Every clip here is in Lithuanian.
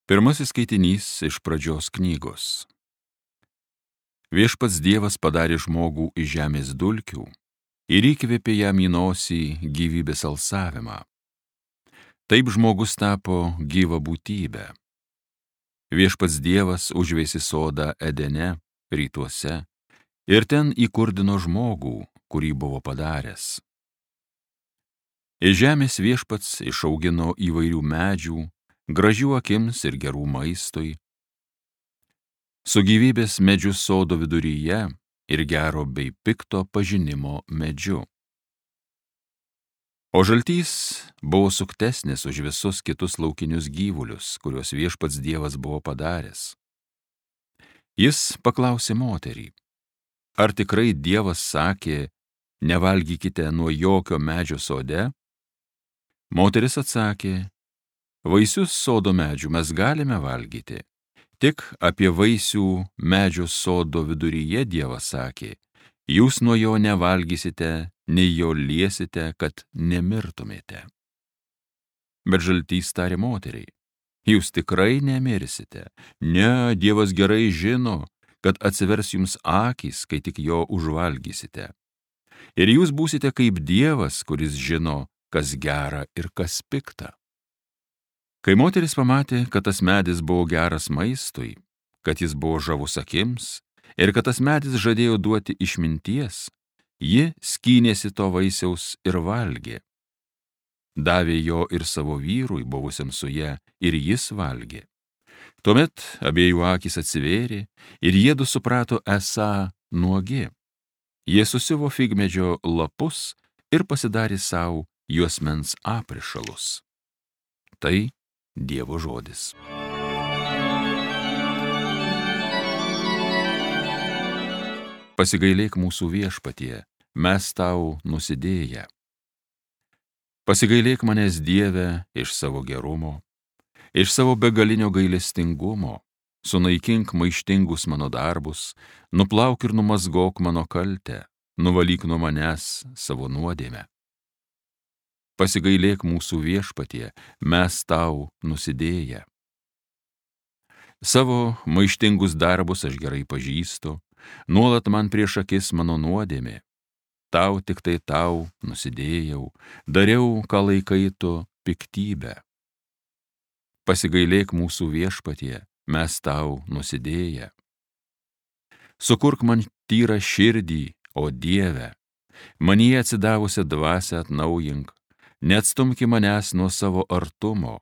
Pirmasis skaitinys iš Pradžios knygos. Viešpats Dievas padarė žmogų iš žemės dulkių ir įkvėpė jam į nosį gyvybės alsavimą. Taip žmogus tapo gyva būtybė. Viešpats Dievas užveisė sodą Edene, rytuose, ir ten įkurdino žmogų, kurį buvo padaręs. Iš žemės viešpats išaugino įvairių medžių, gražių akims ir gerų maistui. Su gyvybės medžiu sodo viduryje ir gero bei pikto pažinimo medžiu. O žaltys buvo suktesnis už visus kitus laukinius gyvulius, kuriuos viešpats Dievas buvo padaręs. Jis paklausė moterį: ar tikrai Dievas sakė, nevalgykite nuo jokio medžio sode? Moteris atsakė: vaisius sodo medžių mes galime valgyti, tik apie vaisių medžio sodo viduryje Dievas sakė: jūs nuo jo nevalgysite, nei jo liesite, kad nemirtumėte. Bet žaltys tarė moteriai: jūs tikrai nemirsite. Ne, Dievas gerai žino, kad atsivers jums akys, kai tik jo užvalgysite. Ir jūs būsite kaip Dievas, kuris žino, kas gera ir kas pikta. Kai moteris pamatė, kad tas medis buvo geras maistui, kad jis buvo žavus akims ir kad tas medis žadėjo duoti išminties, ji skynėsi to vaisiaus ir valgė. Davė jo ir savo vyrui, buvusiam su ja, ir jis valgė. Tuomet abiejų akys atsivėrė ir jiedu suprato esą nuogi. Jie susiuvo figmedžio lapus ir pasidarė savo juosmens aprišalus. Tai Dievo žodis. Pasigailėk mūsų Viešpatie, mes tau nusidėję. Pasigailėk manęs, Dieve, iš savo gerumo, iš savo begalinio gailestingumo, sunaikink maištingus mano darbus, nuplauk ir numazgok mano kaltę, nuvalyk nuo manęs savo nuodėmę. Pasigailėk mūsų Viešpatie, mes tau nusidėję. Savo maištingus darbus aš gerai pažįstu, nuolat man prieš akis mano nuodėmė. Tau tik tai tau nusidėjau, dariau, ką laikai tu piktybę. Pasigailėk mūsų Viešpatie, mes tau nusidėję. Sukurk man tyrą širdį, o Dieve, manyje atsidavusią dvasią atnaujink. Neatstumki manęs nuo savo artumo,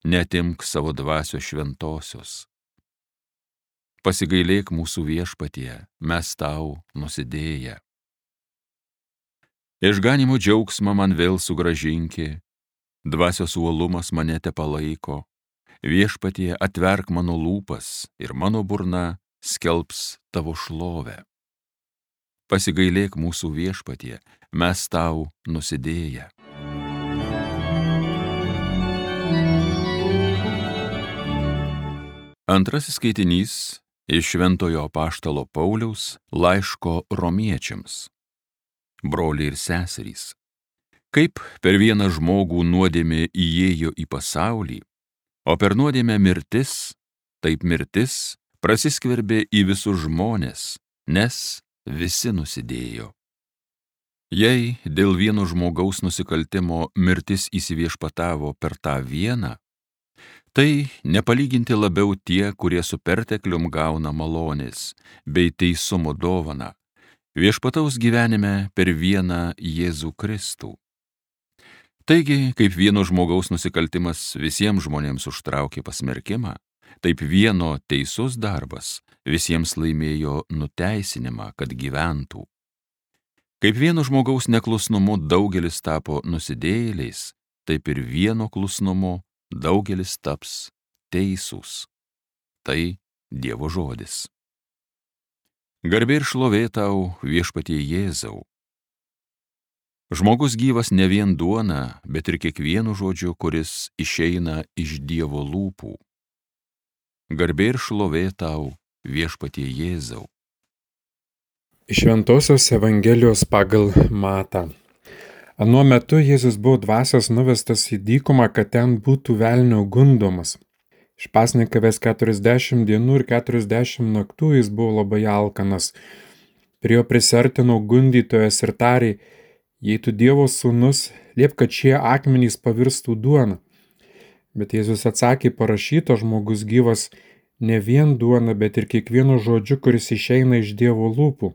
neatimk savo dvasios šventosios. Pasigailėk mūsų Viešpatie, mes tau nusidėję. Išganimo džiaugsmą man vėl sugrąžinki, dvasios uolumas mane tepalaiko. Viešpatie, atverk mano lūpas ir mano burna skelbs tavo šlovę. Pasigailėk mūsų Viešpatie, mes tau nusidėję. Antrasis skaitinys iš Šventojo apaštalo Pauliaus laiško romiečiams. Broliai ir seserys, kaip per vieną žmogų nuodėmė įėjo į pasaulį, o per nuodėmę mirtis, taip mirtis prasiskverbė į visus žmones, nes visi nusidėjo. Jei dėl vieno žmogaus nusikaltimo mirtis įsiviešpatavo per tą vieną, tai nepalyginti labiau tie, kurie su perteklium gauna malonės bei teisumo dovaną, viešpataus gyvenime per vieną Jėzų Kristų. Taigi, kaip vieno žmogaus nusikaltimas visiems žmonėms užtraukė pasmerkimą, taip vieno teisus darbas visiems laimėjo nuteisinimą, kad gyventų. Kaip vieno žmogaus neklusnumu daugelis tapo nusidėjėliais, taip ir vieno klusnumu daugelis taps teisūs. Tai Dievo žodis. Garbė ir šlovė tau, Viešpatie Jėzau. Žmogus gyvas ne vien duona, bet ir kiekvienu žodžiu, kuris išeina iš Dievo lūpų. Garbė ir šlovė tau, Viešpatie Jėzau. Iš Šventosios Evangelijos pagal Matą. Anuo metu Jėzus buvo dvasios nuvestas į dykumą, kad ten būtų velnio gundomas. Išpasnikavęs 40 dienų ir 40 naktų jis buvo labai alkanas. Prie jo prisartino gundytojas ir tarė: jei tu Dievo sūnus, liep, kad šie akmenys pavirstų duona. Bet Jėzus atsakė: parašyta, žmogus gyvas ne vien duona, bet ir kiekvienu žodžiu, kuris išeina iš Dievo lūpų.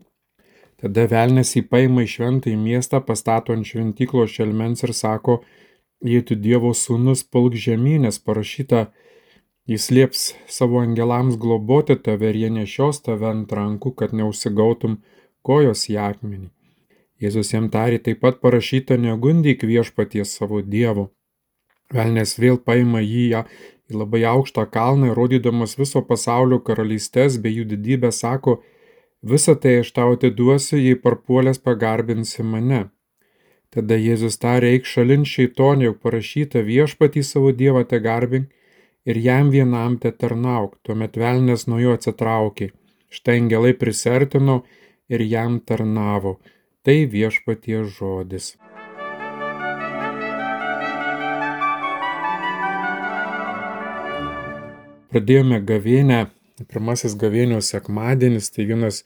Tada velnias jį paima į šventąjį miestą, pastato ant šventyklos šelmens ir sako: jei tu Dievo sūnus, pulk žemyn, nes parašyta, jis lieps savo angelams globoti tave ir jie nešios tave ant rankų, kad neužsigautum kojos į akmenį. Jėzus jam tarė: taip pat parašyta, negundyk viešpaties savo Dievo. Velnias vėl paima jį į labai aukštą kalną ir rodydamas viso pasaulio karalystės bei jų didybę sako: visą tai aš tau atiduosiu, jei parpuolęs pagarbinsi mane. Tada Jėzus tarė: eik šalin šeitonė, juk parašyta, viešpatį savo Dievą te garbink ir jam vienam te tarnauk. Tuomet velnias nuo jo atsitraukė. Štai angelai prisertino ir jam tarnavo. Tai viešpaties žodis. Pradėjome gavėnią, pirmasis gavėnios sekmadienis, tai vienas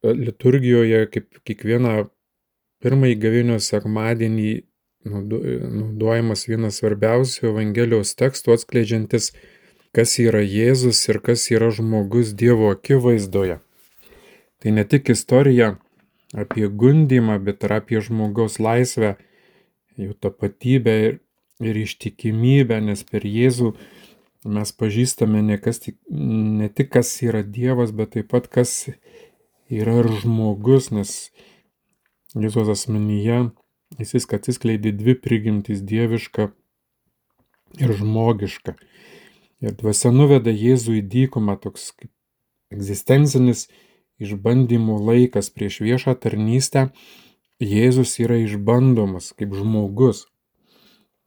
liturgijoje, kaip kiekvieną pirmąjį gavėnios sekmadienį naudojamas vienas svarbiausių Evangelijos tekstų, atskleidžiantis, kas yra Jėzus ir kas yra žmogus Dievo akivaizdoje. Tai ne tik istorija apie gundymą, bet ir apie žmogaus laisvę, jų tapatybę ir ištikimybę, nes per Jėzų mes pažįstame ne tik kas yra Dievas, bet taip pat kas yra ir žmogus, nes Jėzaus asmenyje jis atsiskleidė dvi prigimtys - dieviška ir žmogiška. Ir dvasia nuveda Jėzų į dykumą, toks kaip egzistencinis išbandymų laikas prieš viešą tarnystę. Jėzus yra išbandomas kaip žmogus,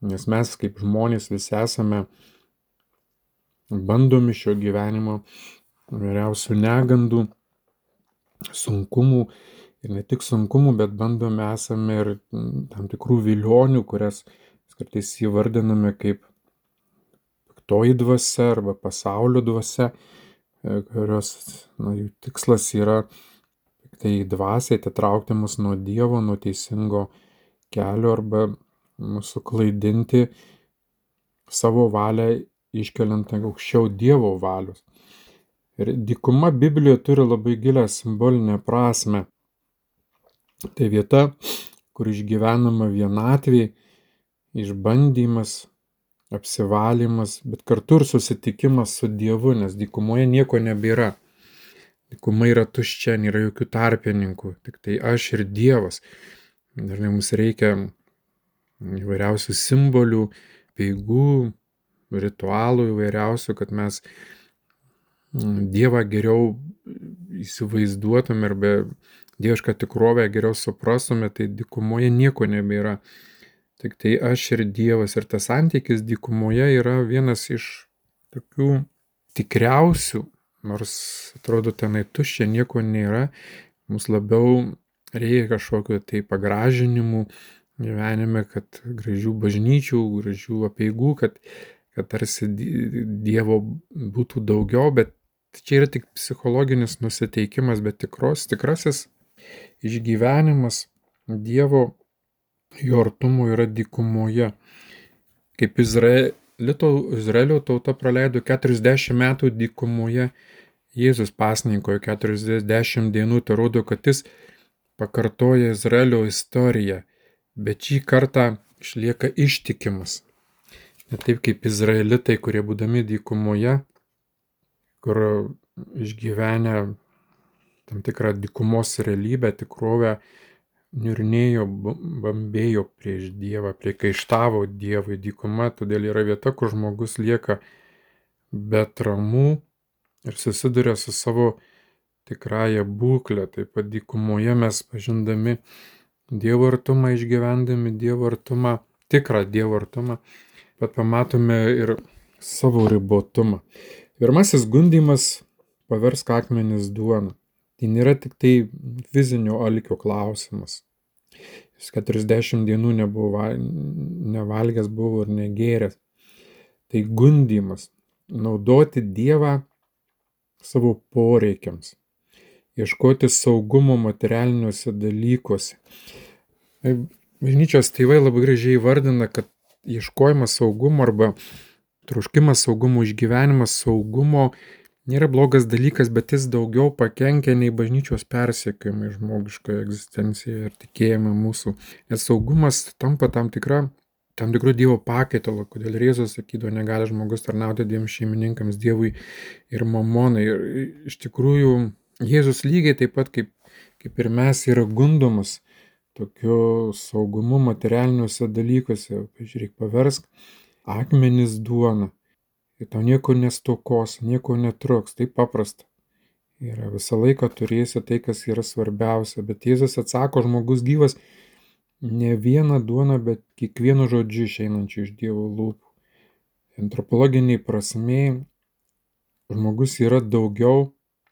nes mes kaip žmonės visi esame bandomi šio gyvenimo vyriausių negandų, sunkumų ir ne tik sunkumų, bet bandomi esame ir tam tikrų vilionių, kurias kartais įvardiname kaip piktoji dvasia arba pasaulio dvasia, kurios jų tikslas yra tai dvasiai atitraukti mus nuo Dievo, nuo teisingo kelio arba mūsų klaidinti savo valią iškeliant aukščiau Dievo valios. Ir dykuma Biblijoje turi labai gilią simbolinę prasme. Tai vieta, kur išgyvenama vienatvė, išbandymas, apsivalymas, bet kartu ir susitikimas su Dievu, nes dykumoje nieko nebėra. Dykuma yra tuščia, nėra jokių tarpininkų, tik tai aš ir Dievas. Dažnai mums reikia įvairiausių simbolių, peigų, ritualų įvairiausių, kad mes Dievą geriau įsivaizduotume arba dievišką tikrovę geriau suprastume, tai dykumoje nieko nebėra. Tik tai aš ir Dievas, ir tas santykis dykumoje yra vienas iš tokių tikriausių, nors atrodo tenai tuščia, nieko nėra, mums labiau reikia kažkokio tai pagražinimų gyvenime, kad gražių bažnyčių, gražių apeigų, kad tarsi Dievo būtų daugiau, bet čia yra tik psichologinis nusiteikimas, bet tikrasis išgyvenimas Dievo, jo artumo yra dykumoje. Kaip Izraelio tauta praleido 40 metų dykumoje, Jėzus pasninkojo 40 dienų, tai rodo, kad jis pakartoja Izraelio istoriją, bet šį kartą išlieka ištikimas. Ne taip kaip izraelitai, kurie būdami dykumoje, kur išgyvenę tam tikrą dykumos realybę, tikrovę, niurnėjo, bambėjo prieš Dievą, priekaištavo Dievui. Dykuma todėl yra vieta, kur žmogus lieka be atramų ir susiduria su savo tikrąją būklę. Taip pat dykumoje mes pažindami Dievo artumą, išgyvendami Dievo artumą, tikrą Dievo artumą, bet pamatome ir savo ribotumą. Pirmasis gundymas - paversk akmenis duona. Tai nėra tik tai fizinio alkio klausimas. Jis 40 dienų nevalgęs buvo ir negėręs. Tai gundymas. naudoti Dievą savo poreikiams, ieškoti saugumo materialiniuose dalykuose. Bažnyčios tėvai labai gražiai vardina, kad ieškojimas saugumo arba troškimas saugumo, išgyvenimas saugumo nėra blogas dalykas, bet jis daugiau pakenkia nei bažnyčios persekiojimai žmogiškoje egzistencijoje ir tikėjime mūsų. Nes saugumas tampa tam tikrų Dievo pakaitalo, kodėl Jėzus sakydavo, negali žmogus tarnauti dviem šeimininkams, Dievui ir mamonai. Ir iš tikrųjų Jėzus lygiai taip pat kaip ir mes yra gundomas tokiu saugumu materialiniuose dalykuose. Pažiūrėk, paversk akmenis duona. Ir tau nieko nestokos, nieko netruks, tai paprasta. Ir visą laiką turėsi tai, kas yra svarbiausia. Bet Jėzus atsako, žmogus gyvas ne vieną duoną, bet kiekvienu žodžiu išeinančiu iš Dievo lūpų. Antropologiniai prasmei žmogus yra daugiau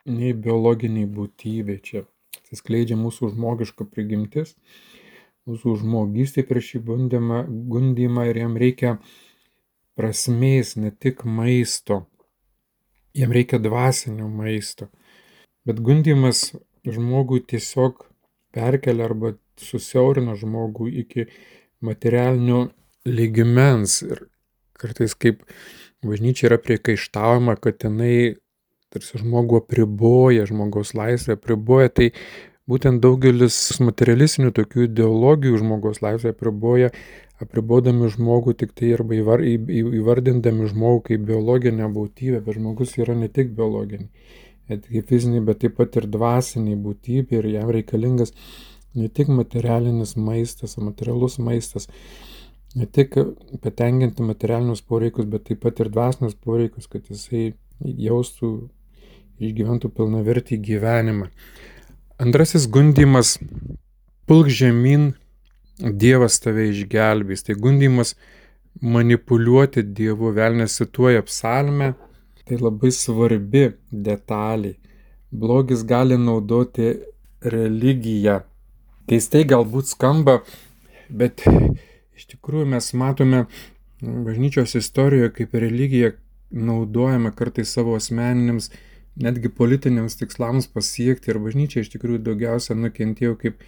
nei biologiniai būtybė. Čia atsiskleidžia mūsų žmogiška prigimtis, mūsų žmogystė prieš šį gundymą ir jam reikia prasmės, ne tik maisto, jam reikia dvasinio maisto. Bet gundymas žmogui tiesiog perkelia arba susiaurina žmogų iki materialinio lygmens. Ir kartais kaip bažnyčia yra priekaištaujama, kad jinai tarsi žmogų apriboja, žmogaus laisvę apriboja, tai būtent daugelis materialistinių tokių ideologijų žmogaus laisvę apribodami žmogų tik tai arba įvardindami žmogų kaip biologinę būtybę, bet žmogus yra ne tik biologinė, ne tik fizinė, bet taip pat ir dvasinė būtybė ir jam reikalingas ne tik materialinis maistas, materialus maistas, ne tik patenkinti materialinius poreikius, bet taip pat ir dvasinius poreikius, kad jisai jaustų, išgyventų pilnavertį gyvenimą. Antrasis gundymas – pulk žemyn, Dievas tave išgelbės. Tai gundymas manipuliuoti Dievu, velnias cituoja psalmę, tai labai svarbi detalė. Blogis gali naudoti religiją. Keistai galbūt skamba, bet iš tikrųjų mes matome bažnyčios istorijoje, kaip religija naudojama kartais savo asmeniniams, netgi politiniams tikslams pasiekti. Ir bažnyčia iš tikrųjų daugiausia nukentėjo kaip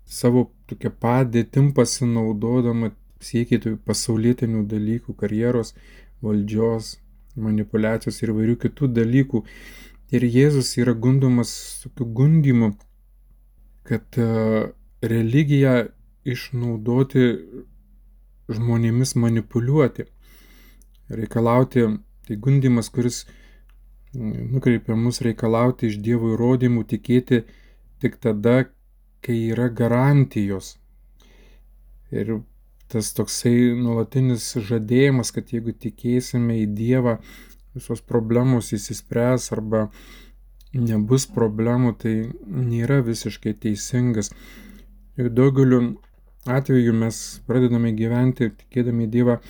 savo tokia padėtim pasinaudodama siekti pasaulietinių dalykų, karjeros, valdžios, manipulacijos ir įvairių kitų dalykų. Ir Jėzus yra gundomas tokiu gundymu, kad religiją išnaudoti žmonėmis manipuliuoti, reikalauti, tai gundymas, kuris nukreipia mus reikalauti iš Dievo įrodymų, tikėti tik tada, kai yra garantijos. Ir tas toksai nuolatinis žadėjimas, kad jeigu tikėsime į Dievą, visos problemos įsispręs arba nebus problemų, tai nėra visiškai teisingas. Ir daugeliu atveju mes pradedame gyventi, tikėdami į Dievą,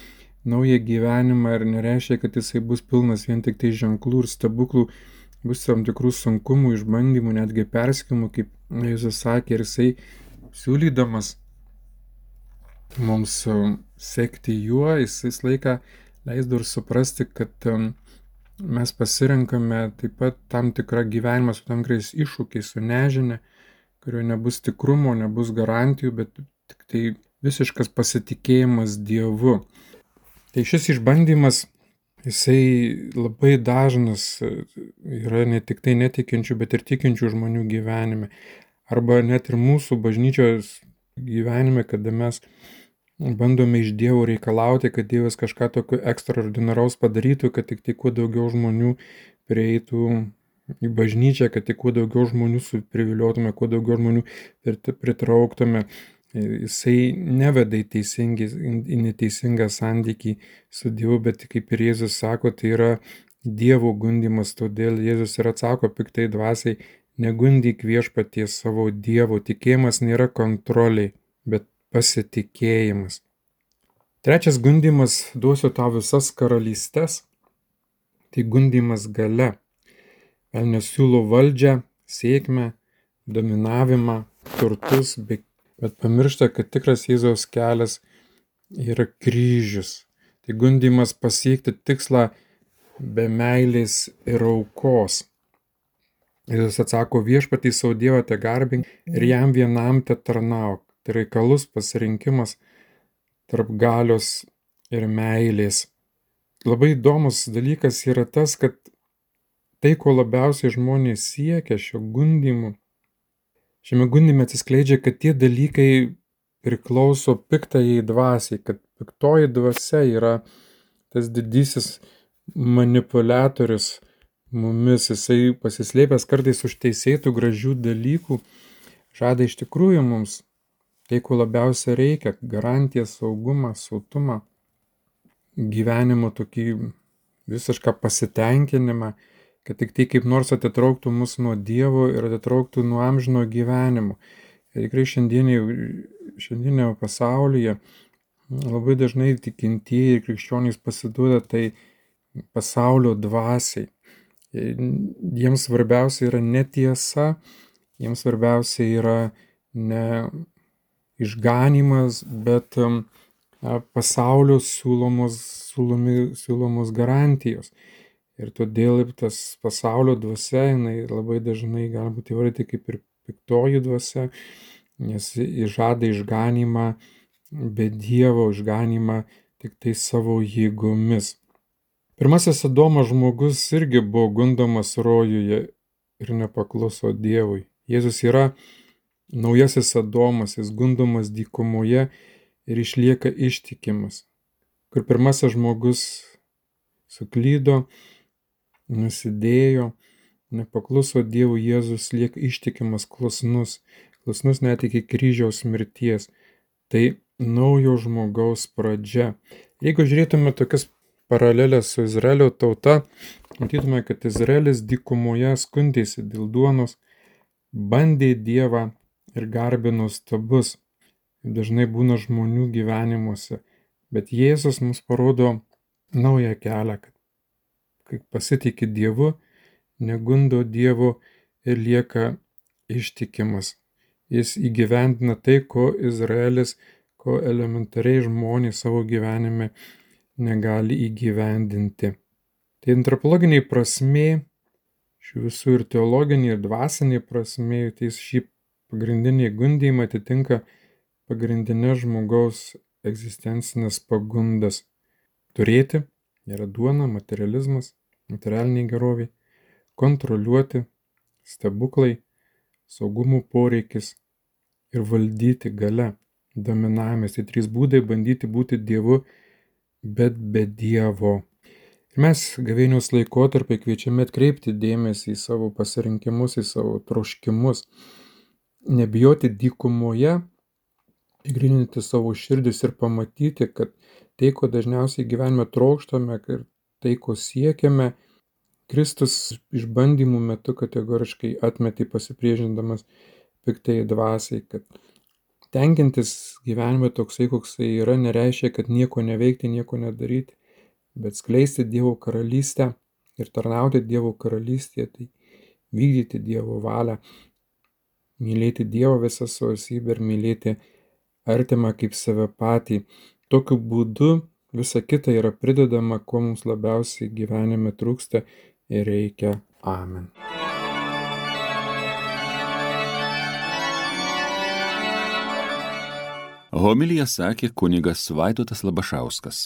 naują gyvenimą ir nereiškia, kad jisai bus pilnas vien tik tai ženklų ir stebuklų, bus tam tikrų sunkumų, išbandymų, netgi persekiojimų, kaip Jėzus sakė, ir jisai siūlydamas mums sekti juo, jisai laiką leisdavo ir suprasti, kad mes pasirenkame taip pat tam tikrą gyvenimą su tam tikrais iššūkiais, su nežinia, kurioje nebus tikrumo, nebus garantijų, bet tik tai visiškas pasitikėjimas Dievu. Tai šis išbandymas, jisai labai dažnas yra ne tik tai netikinčių, bet ir tikinčių žmonių gyvenime. Arba net ir mūsų bažnyčios gyvenime, kada mes bandome iš Dievo reikalauti, kad Dievas kažką tokio ekstraordinaraus padarytų, kad tik tai kuo daugiau žmonių prieitų į bažnyčią, kad tik kuo daugiau žmonių priviliotume, kuo daugiau žmonių pritrauktume. Jisai neveda į neteisingą santykį su Dievu, bet kaip ir Jėzus sako, tai yra Dievo gundymas, todėl Jėzus ir atsako piktai dvasiai, negundyk viešpaties savo Dievo. Tikėjimas nėra kontroliai, bet pasitikėjimas. Trečias gundymas, duosiu tau visas karalystes, tai gundymas galia. Velnias siūlo valdžią, sėkmę, dominavimą, turtus, bet pamiršta, kad tikras Jėzaus kelias yra kryžius. Tai gundymas pasiekti tikslą be meilės ir aukos. Jėzus atsako, viešpatį savo Dievą te garbink ir jam vienam te tarnauk. Tai reikalus pasirinkimas tarp galios ir meilės. Labai įdomus dalykas yra tas, kad tai, ko labiausiai žmonės siekia šiame gundyme atsiskleidžia, kad tie dalykai priklauso piktajai dvasiai, kad piktoji dvasia yra tas didysis manipuliatorius mumis, jisai pasislėpęs kartais už teisėtų gražių dalykų, žada iš tikrųjų mums tai, ko labiausiai reikia - garantiją, saugumą, sautumą, gyvenimo tokį visišką pasitenkinimą, kad tik tai kaip nors atitrauktų mus nuo Dievo ir atitrauktų nuo amžino gyvenimo. Ir tikrai šiandienio pasaulyje labai dažnai tikintieji ir krikščionys pasiduoda tai pasaulio dvasiai. Jiems svarbiausia yra netiesa, jiems svarbiausia yra ne išganymas, bet pasaulio siūlomos garantijos. Ir todėl tas pasaulio dvasia, jinai labai dažnai gali būti įvardyti kaip ir piktoji dvasia, nes jis žada išganymą be Dievo, išganymą tik tai savo jėgomis. Pirmasis Adomo žmogus irgi buvo gundomas rojuje ir nepakluso Dievui. Jėzus yra naujasis Adomas, jis gundomas dykumoje ir išlieka ištikimas. Kur pirmasis žmogus suklydo, nusidėjo, nepakluso Dievui, Jėzus lieka ištikimas, klusnus net iki kryžiaus mirties. Tai naujo žmogaus pradžia. Jeigu žiūrėtume tokias paralelės su Izraelio tauta, matytume, kad Izraelis dykumoje skundėsi dėl duonos, bandė Dievą ir garbino stabus. Dažnai būna žmonių gyvenimuose, bet Jėzus mums parodo naują kelią, kad kai pasitikė Dievu, negundo Dievo ir lieka ištikimas. Jis įgyvendina tai, ko Izraelis, ko elementariai žmonės savo gyvenime negali įgyvendinti. Tai antropologiniai prasmė, šių visų ir teologinė, ir dvasinė prasmė, tai šį pagrindinį gundymą atitinka pagrindinės žmogaus egzistencinės pagundas. Turėti yra duona, materializmas, materialiniai geroviai, kontroliuoti, stebuklai, saugumo poreikis ir valdyti galia, dominavimas. Tai 3 būdai bandyti būti Dievu, bet be Dievo. Ir mes gavėnios laikotarpį kviečiame atkreipti dėmesį į savo pasirinkimus, į savo troškimus, nebijoti dykumoje, įgryninti savo širdis ir pamatyti, kad tai, ko dažniausiai gyvenime trokštame ir tai, ko siekiame, Kristus išbandymų metu kategoriškai atmetė pasipriešindamas piktai dvasiai, kad tenkintis gyvenime toksai, koksai yra, nereiškia, kad nieko neveikti, nieko nedaryti, bet skleisti Dievo karalystę ir tarnauti Dievo karalystėje, tai vykdyti Dievo valią, mylėti Dievo visą savo esybę ir mylėti artimą kaip save patį. Tokiu būdu visa kita yra pridedama, ko mums labiausiai gyvenime trūksta ir reikia. Amen. Homiliją sakė kunigas Vaidotas Labašauskas.